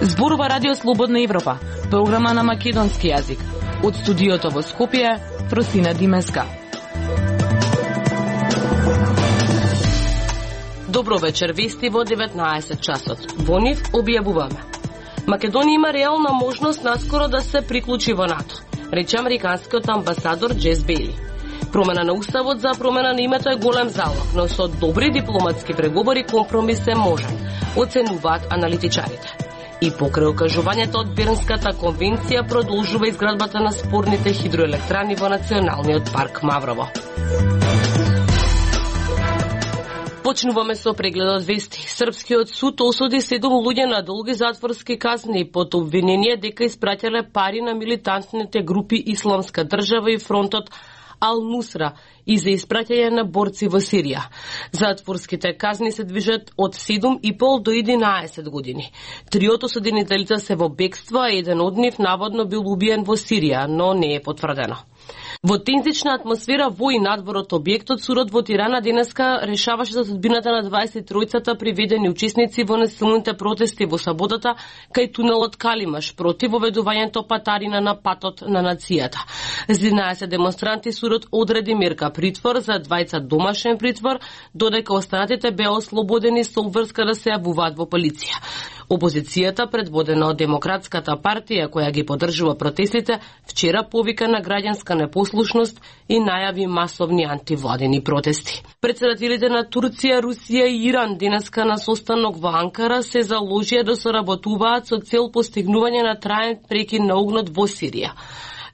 Зборува Радио Слободна Европа, програма на македонски јазик. Од студиото во Скопје, Просина Димеска. Добро вечер, вести во 19 часот. Во нив објавуваме. Македонија има реална можност наскоро да се приклучи во НАТО, рече американскиот амбасадор Джес Бейли. Промена на уставот за промена на името е голем залог, но со добри дипломатски преговори компромис е можен, оценуваат аналитичарите. И покрај окажувањето од Бернската конвенција продолжува изградбата на спорните хидроелектрани во Националниот парк Маврово. Почнуваме со прегледот вести. Српскиот суд осуди 7 луѓе на долги затворски казни под обвинение дека испраќале пари на милитантните групи Исламска држава и фронтот Ал-Нусра и за испраќање на борци во Сирија. Затворските казни се движат од 7,5 до 11 години. Триото осудените лица се во бегство, а еден од нив наводно бил убиен во Сирија, но не е потврдено. Во тензична атмосфера во и надвор од објектот, судот во Тирана денеска решаваше за судбината на 23-цата приведени учесници во насилните протести во саботата кај тунелот Калимаш против воведувањето патарина на патот на нацијата. За 11 демонстранти судот одреди мерка притвор, за 2 домашен притвор, додека останатите беа ослободени со обврска да се јавуваат во полиција. Опозицијата, предводена од Демократската партија, која ги поддржува протестите, вчера повика на граѓанска непослушност и најави масовни антивладени протести. Претседателите на Турција, Русија и Иран денеска на состанок во Анкара се заложија да соработуваат со цел постигнување на траен прекин на огнот во Сирија.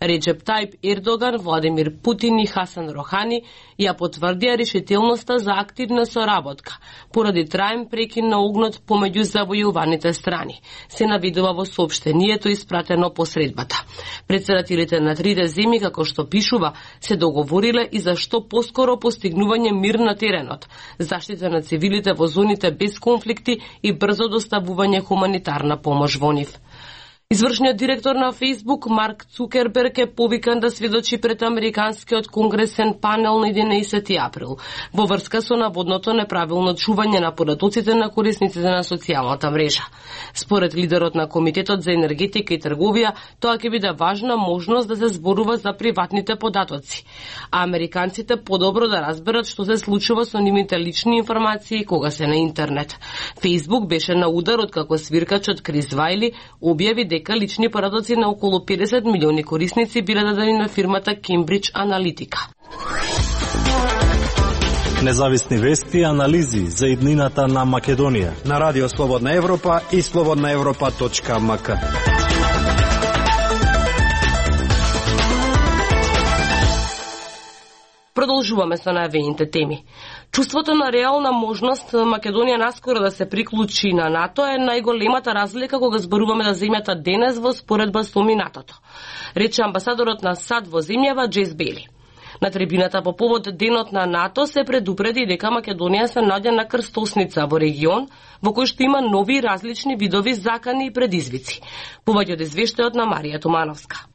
Реджеп Тајп Ердоган, Владимир Путин и Хасан Рохани ја потврдија решителноста за активна соработка поради траен прекин на огнот помеѓу завојуваните страни, се навидува во соопштението испратено по средбата. Претседателите на трите земји, како што пишува, се договориле и за што поскоро постигнување мир на теренот, заштита на цивилите во зоните без конфликти и брзо доставување хуманитарна помош во нив. Извршниот директор на Facebook Марк Цукерберг е повикан да сведочи пред американскиот конгресен панел на 11 април во врска со наводното неправилно чување на податоците на корисниците на социјалната мрежа. Според лидерот на Комитетот за енергетика и трговија, тоа ќе биде важна можност да се зборува за приватните податоци, а американците подобро да разберат што се случува со нивните лични информации кога се на интернет. Facebook беше на удар откако свиркачот Крис Вајли објави дека лични податоци на околу 50 милиони корисници биле дадени на фирмата Cambridge Analytica. Независни вести и анализи за иднината на Македонија на Радио Слободна Европа и slobodnaevropa.mk. Продолжуваме со најавените теми. Чувството на реална можност Македонија наскоро да се приклучи на НАТО е најголемата разлика кога зборуваме за земјата денес во споредба со минатото, рече амбасадорот на САД во земјава Джес Бейли. На трибината по повод денот на НАТО се предупреди дека Македонија се наоѓа на крстосница во регион во кој што има нови различни видови закани и предизвици. Повеќе од извештајот на Марија Тумановска.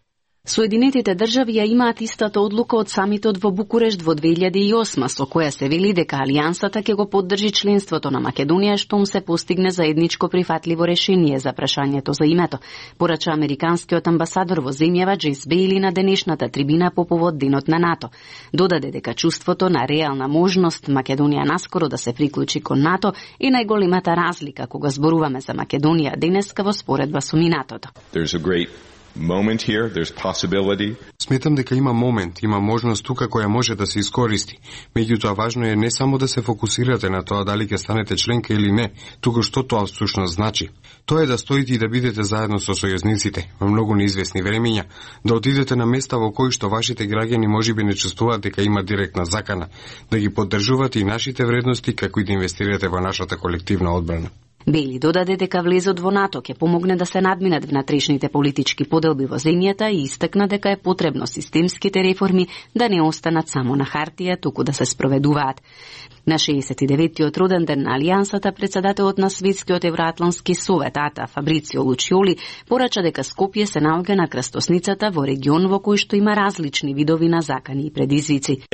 Соединетите држави ја имаат истата одлука од самитот во Букурешт во 2008, со која се вели дека Алијансата ќе го поддржи членството на Македонија штом се постигне заедничко прифатливо решение за прашањето за името, порача американскиот амбасадор во земјава Джес Бейли на денешната трибина по повод денот на НАТО. Додаде дека чувството на реална можност Македонија наскоро да се приклучи кон НАТО е најголемата разлика кога зборуваме за Македонија денеска во споредба со минатото. Moment here, there's possibility. Сметам дека има момент, има можност тука која може да се искористи. Меѓутоа важно е не само да се фокусирате на тоа дали ќе станете членка или не, туку што тоа всушност значи. Тоа е да стоите и да бидете заедно со сојузниците во многу неизвестни времења, да отидете на места во кои што вашите граѓани можеби не чувствуваат дека има директна закана, да ги поддржувате и нашите вредности како и да инвестирате во нашата колективна одбрана. Бели додаде дека влезот во НАТО ќе помогне да се надминат внатрешните политички поделби во земјата и истакна дека е потребно системските реформи да не останат само на хартија, туку да се спроведуваат. На 69-тиот роден ден на Алијансата, председателот на Светскиот евроатлантски совет АТА Фабрицио Лучиоли порача дека Скопје се наоѓа на крстосницата во регион во кој што има различни видови на закани и предизвици.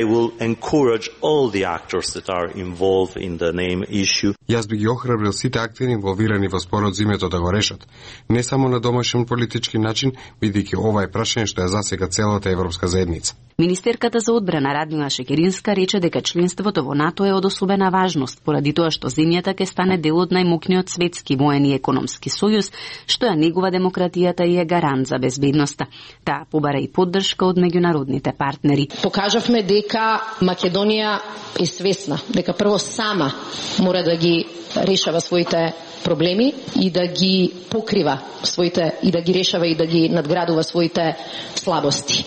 Јас би ги охрабрил сите актери инволвирани во спорот за името да го решат, не само на домашен политички начин, бидејќи ова е прашање што ја засега целата европска заедница. Министерката за одбрана Радмила Шекеринска рече дека членството во НАТО е од особена важност, поради тоа што земјата ќе стане дел од најмокниот светски воен и економски сојуз, што ја негува демократијата и е гарант за безбедноста. Таа побара и поддршка од меѓународните партнери. Покажавме дека Македонија е свесна, дека прво сама мора да ги решава своите проблеми и да ги покрива своите, и да ги решава и да ги надградува своите слабости.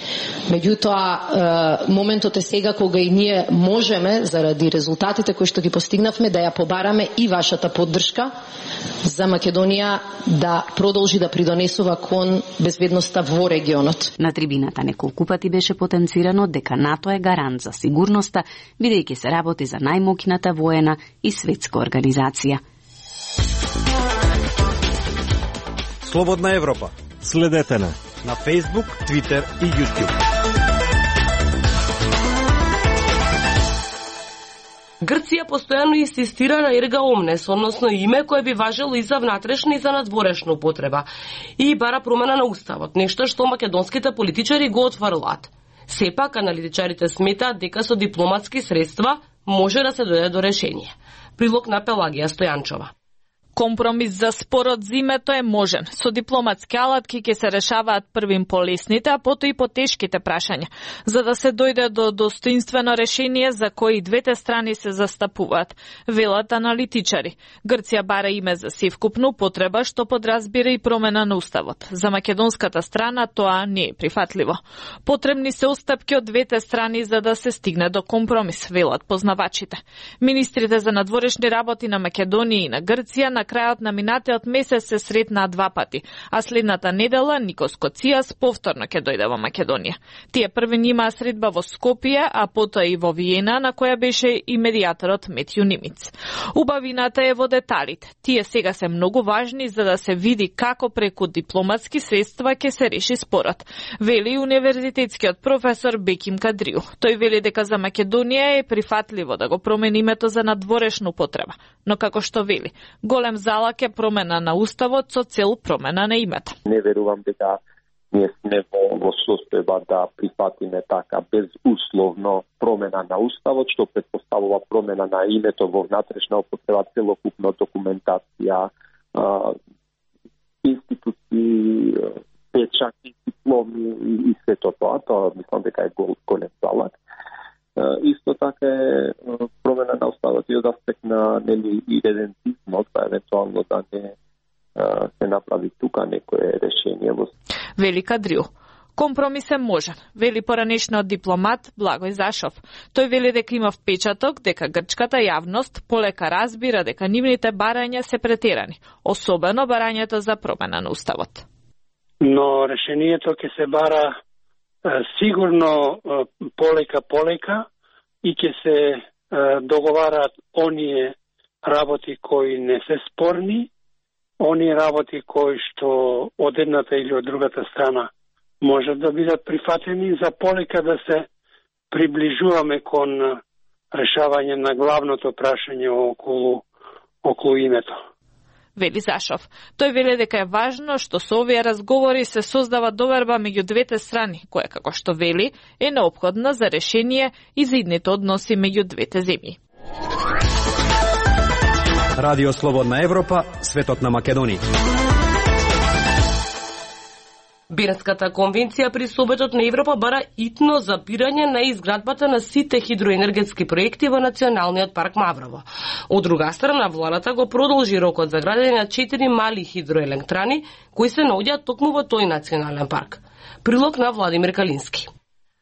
Меѓутоа, моментот е сега кога и ние можеме, заради резултатите кои што ги постигнавме, да ја побараме и вашата поддршка за Македонија да продолжи да придонесува кон безбедноста во регионот. На трибината неколку пати беше потенцирано дека НАТО е гарант за сигурноста, бидејќи се работи за најмокната воена и светска организација. Слободна Европа. Следете на Facebook, Twitter и YouTube. Грција постојано инсистира на ерга омнес, односно име кое би важело и за внатрешна и за надворешна употреба, и бара промена на уставот, нешто што македонските политичари го отфрлаат. Сепак, аналитичарите сметаат дека со дипломатски средства може да се дојде до решение. Прилог на Пелагија Стојанчова. Компромис за спорот за името е можен. Со дипломатски алатки ќе се решаваат првим по лесните, а потоа и по тешките прашања, за да се дојде до достоинствено решение за кои двете страни се застапуваат, велат аналитичари. Грција бара име за севкупна употреба, што подразбира и промена на уставот. За македонската страна тоа не е прифатливо. Потребни се устапки од двете страни за да се стигне до компромис, велат познавачите. Министрите за надворешни работи на Македонија и на Грција на крајот на минатиот месец се сретнаа два пати, а следната недела Никос Коцијас повторно ќе дојде во Македонија. Тие првен имаа средба во Скопје, а потоа и во Виена, на која беше и медијаторот Метју Нимиц. Убавината е во деталите. Тие сега се многу важни за да се види како преку дипломатски средства ќе се реши спорот, вели универзитетскиот професор Беким Кадриу. Тој вели дека за Македонија е прифатливо да го промени името за надворешна употреба, но како што вели, голем залак е промена на уставот со цел промена на името. Не верувам дека ние сме во состојба да прифатиме така безусловно промена на уставот, што претпоставува промена на името во внатрешна употреба, целокупно документација, институции, печати, дипломи и сето тоа. Тоа мислам дека е голем залак. Исто така е промена на уставот и од аспект на идентичност, евентуално да не се направи тука некое решение. Вели Кадриу. Компромис е можен, вели поранешниот дипломат Благој Зашов. Тој вели дека има впечаток дека грчката јавност полека разбира дека нивните барања се претерани, особено барањето за промена на уставот. Но решението ќе се бара сигурно полека и ќе се договараат оние работи кои не се спорни, оние работи кои што од едната или од другата страна можат да бидат прифатени, за полека да се приближуваме кон решавање на главното прашање околу името. Вели Зашов. Тој вели дека е важно што со овие разговори се создава доверба меѓу двете страни, која, како што вели, е неопходна за решение и за идните односи меѓу двете земји. Радио Слободна Европа, светот на Македонија. Бернската конвенција при Советот на Европа бара итно запирање на изградбата на сите хидроенергетски проекти во Националниот парк Маврово. Од друга страна, владата го продолжи рокот за градење на 4 мали хидроелектрани кои се наоѓаат токму во тој национален парк. Прилог на Владимир Калински.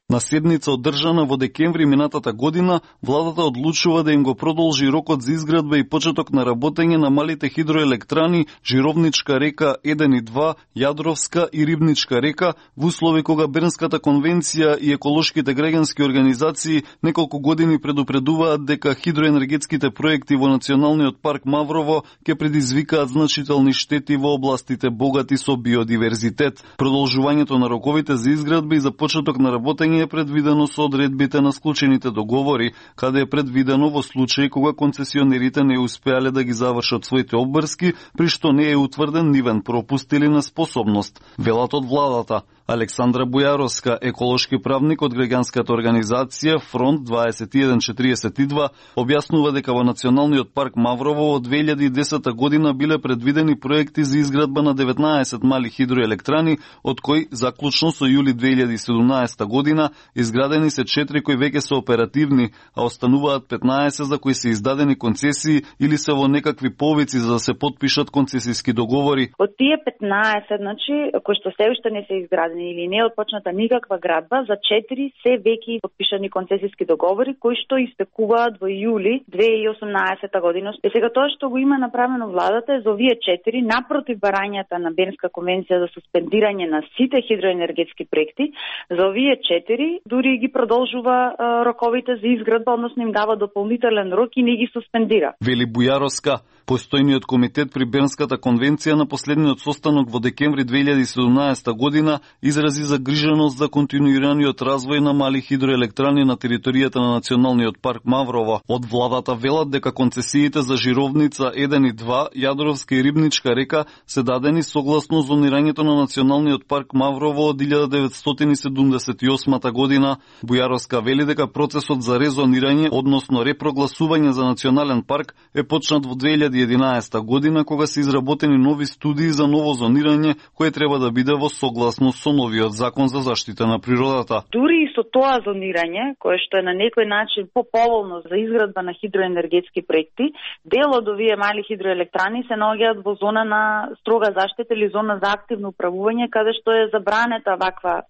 На седница одржана во декември минатата година, владата одлучува да им го продолжи рокот за изградба и почеток на работење на малите хидроелектрани Жировничка река 1 и 2, Јадровска и Рибничка река, во услови кога Бернската конвенција и еколошките граѓански организации неколку години предупредуваат дека хидроенергетските проекти во Националниот парк Маврово ќе предизвикаат значителни штети во областите богати со биодиверзитет. Продолжувањето на роковите за изградба и за почеток на работење е предвидено со одредбите на склучените договори, каде е предвидено во случај кога концесионерите не успеале да ги завршат своите обврски, при што не е утврден нивен пропуст или неспособност, велат од владата. Александра Бујаровска, еколошки правник од граѓанската организација Фронт 2142, објаснува дека во Националниот парк Маврово од 2010 година биле предвидени проекти за изградба на 19 мали хидроелектрани, од кои заклучно со јули 2017 година изградени се 4 кои веќе се оперативни, а остануваат 15 за кои се издадени концесии или се во некакви повици за да се потпишат концесиски договори. Од тие 15, значи, кои што се уште не се изградени или не е отпочната никаква градба, за 4 се веќе подпишани концесиски договори кои што истекуваат во јули 2018 година. И сега тоа што го има направено владата е за овие 4 напротив барањата на Бернска конвенција за суспендирање на сите хидроенергетски проекти, за овие 4 дури ги продолжува роковите за изградба, односно им дава дополнителен рок и не ги суспендира. Вели Бујаровска, постојниот комитет при Бернската конвенција на последниот состанок во декември 2017 година изрази загриженост за континуираниот развој на мали хидроелектрани на територијата на Националниот парк Маврово. Од владата велат дека концесиите за Жировница 1 и 2, Јадровска и Рибничка река се дадени согласно зонирањето на Националниот парк Маврово од 1978 година. Бујаровска вели дека процесот за резонирање, односно репрогласување за национален парк е почнат во 2011 година, кога се изработени нови студии за ново зонирање, кое треба да биде во согласност со новиот закон за заштита на природата. Дури и со тоа зонирање, кое што е на некој начин поповолно за изградба на хидроенергетски проекти, дел од овие мали хидроелектрани се наоѓаат во зона на строга заштита или зона за активно управување, каде што е забранета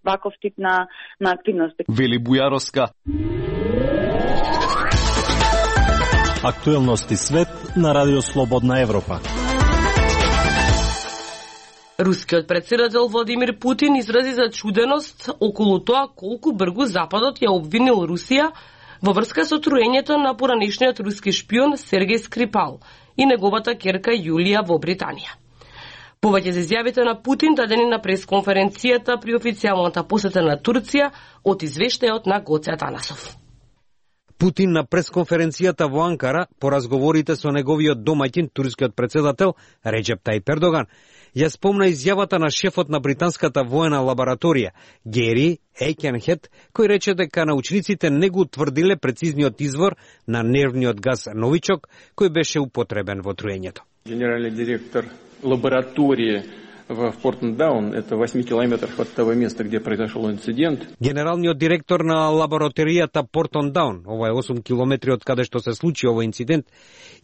ваков тип на активности. Вели Бујаровска. Актуелности свет на Радио Слободна Европа. Рускиот председател Владимир Путин изрази зачуденост околу тоа колку бргу Западот ја обвинил Русија во врска со труењето на поранешниот руски шпион Сергеј Скрипал и неговата ќерка Јулија во Британија. Повеќе за изјавите на Путин дадени на пресконференцијата при официјалната посета на Турција од извештајот на Гоце Атанасов. Путин на пресконференцијата во Анкара по разговорите со неговиот домаќин, турскиот председател Реджеп Тајип Ердоган, ја спомна изјавата на шефот на британската воена лабораторија Гери Ејкенхет, кој рече дека научниците не го утврдиле прецизниот извор на нервниот газ новичок кој беше употребен во труењето. Генералниот директор лабораторија в Портендаун, это 8 километров от того места, где произошел инцидент. Генералниот директор на лабораторијата Портендаун, ова е 8 километри од каде што се случи овој инцидент,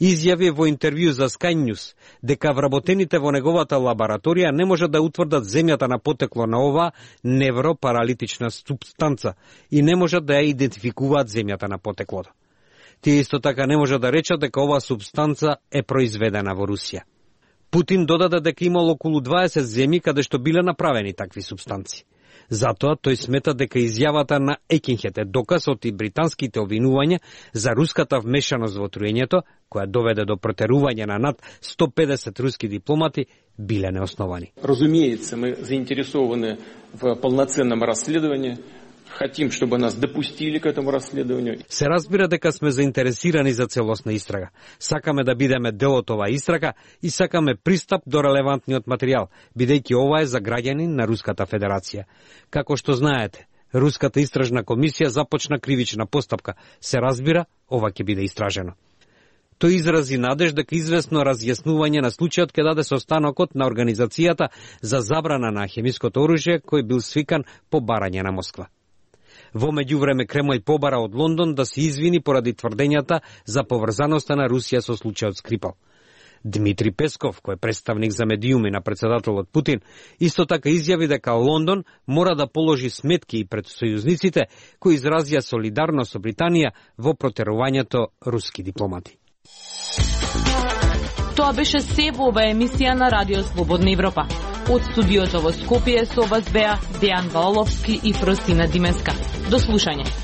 изјави во интервју за Sky News дека вработените во неговата лабораторија не можат да утврдат земјата на потекло на оваа невропаралитична супстанца и не можат да ја идентификуваат земјата на потеклото. Тие исто така не можат да речат дека оваа супстанца е произведена во Русија. Путин додаде дека имало околу 20 земји каде што биле направени такви супстанци. Затоа тој смета дека изјавата на Екинхет е доказ од и британските обвинувања за руската вмешаност во труењето, која доведе до протерување на над 150 руски дипломати, биле неосновани. Разумеется, мы заинтересованы в полноценном расследовании. Хотим, чтобы нас допустили к этому расследованию. Се разбира дека сме заинтересирани за целосна истрага. Сакаме да бидеме дел од оваа истрага и сакаме пристап до релевантниот материјал, бидејќи ова е за граѓани на Руската Федерација. Како што знаете, Руската истражна комисија започна кривична постапка. Се разбира, ова ќе биде истражено. Тој изрази надеж дека известно разјаснување на случајот ќе даде состанокот на Организацијата за забрана на хемиското оружје, кој бил свикан по барање на Москва. Во меѓувреме Кремљ побара од Лондон да се извини поради тврдењата за поврзаноста на Русија со случајот Скрипал. Дмитри Песков, кој е представник за медиуми на председателот Путин, исто така изјави дека Лондон мора да положи сметки и пред сојузниците кои изразија солидарност со Британија во протерувањето руски дипломати. Тоа беше се во ова емисија на Радио Слободна Европа. Од студиото во Скопје со вас беа Дејан Ваоловски и Фростина Димеска. До слушање.